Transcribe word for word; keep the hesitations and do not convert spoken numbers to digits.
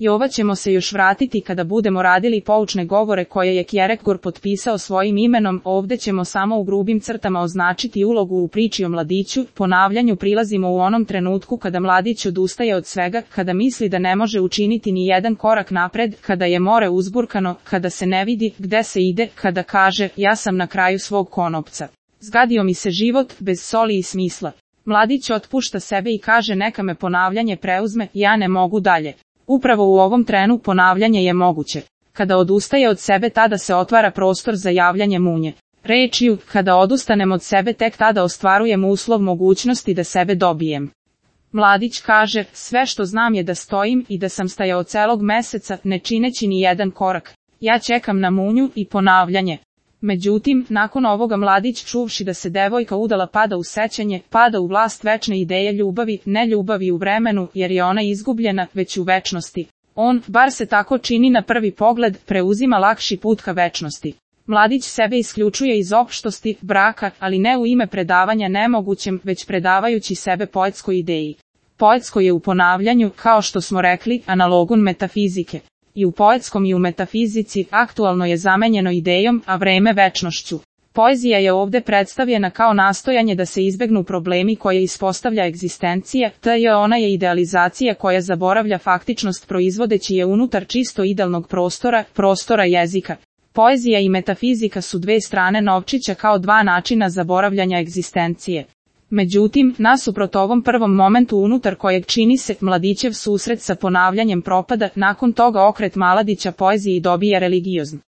I ova ćemo se još vratiti kada budemo radili poučne govore koje je Kierkegaard potpisao svojim imenom. Ovde ćemo samo u grubim crtama označiti ulogu u priči o mladiću. Ponavljanju prilazimo u onom trenutku kada mladić odustaje od svega, kada misli da ne može učiniti ni jedan korak napred, kada je more uzburkano, kada se ne vidi gde se ide, kada kaže ja sam na kraju svog konopca. Zgadio mi se život, bez soli i smisla. Mladić otpušta sebe i kaže neka me ponavljanje preuzme, ja ne mogu dalje. Upravo u ovom trenu ponavljanje je moguće. Kada odustaje od sebe tada se otvara prostor za javljanje munje. Rečju, kada odustanem od sebe tek tada ostvarujem uslov mogućnosti da sebe dobijem. Mladić kaže, sve što znam je da stojim i da sam stajao celog meseca, ne čineći ni jedan korak. Ja čekam na munju i ponavljanje. Međutim, nakon ovoga mladić čuvši da se devojka udala pada u sećanje, pada u vlast večne ideje ljubavi, ne ljubavi u vremenu, jer je ona izgubljena, već u večnosti. On, bar se tako čini na prvi pogled, preuzima lakši put ka večnosti. Mladić sebe isključuje iz opštosti, braka, ali ne u ime predavanja nemogućem, već predavajući sebe poetskoj ideji. Poetsko je u ponavljanju, kao što smo rekli, analogun metafizike. I u poetskom i u metafizici aktualno je zamenjeno idejom, a vreme večnošću. Poezija je ovde predstavljena kao nastojanje da se izbegnu problemi koje ispostavlja egzistencija, te je ona je idealizacija koja zaboravlja faktičnost proizvodeći je unutar čisto idealnog prostora, prostora jezika. Poezija i metafizika su dve strane novčića kao dva načina zaboravljanja egzistencije. Međutim, nasuprot ovom prvom momentu unutar kojeg čini se mladićev susret sa ponavljanjem propada, nakon toga okret Maladića poeziji dobija religiozno.